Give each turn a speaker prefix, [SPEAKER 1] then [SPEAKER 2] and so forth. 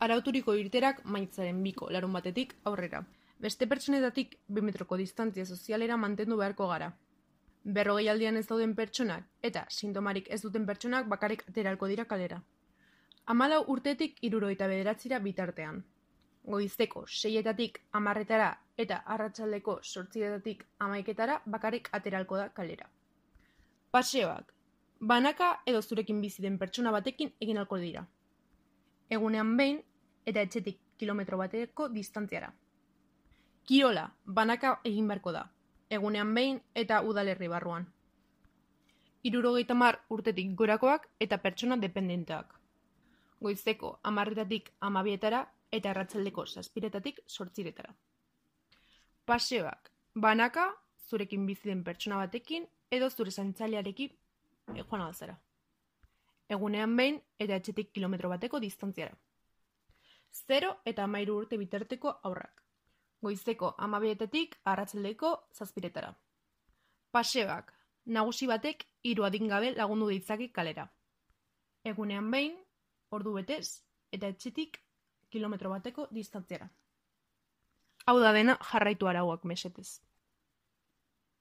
[SPEAKER 1] arauturiko irteerak maiatzaren 2ko larunbatetik aurrera. Beste pertsonetatik 2 metroko distantzia sozialera mantendu beharko gara. 40 aldian ez dauden pertsonak eta sintomarik ez duten pertsonak bakarrik ateralko dira kalera. 14 urtetik 69 bitartean. Goizeko 6etatik 10etara eta arratsaldeko 8etatik 11etara bakarrik ateralko da kalera. Paseoak. Banaka edo zurekin bizi den pertsona batekin egin ahalko dira. Egunean behin eta etxetik kilometro bateko distantziara. Kirola, banaka egin beharko da. Egunean behin eta udalerri barruan. 70 urtetik gorakoak eta pertsona dependenteak. Goizeko 10etatik 12etara eta arratsaldeko 7etatik 8etara. Paseoak, banaka zurekin bizi den pertsona batekin edo zure zaintzailearekin joan alzara. Egunean behin eta etxetik kilometro bateko distantziara. 0 eta 13 urte bitarteko haurrak. Goizeko 12etatik arratsaldeko 7etara. Paseoak, nagusi batek 3 adingabe lagundu ditzake kalera. Egunean behin, ordu betez eta etxetik kilometro bateko distantziara. Hau da dena, jarraitu arauak mesedez.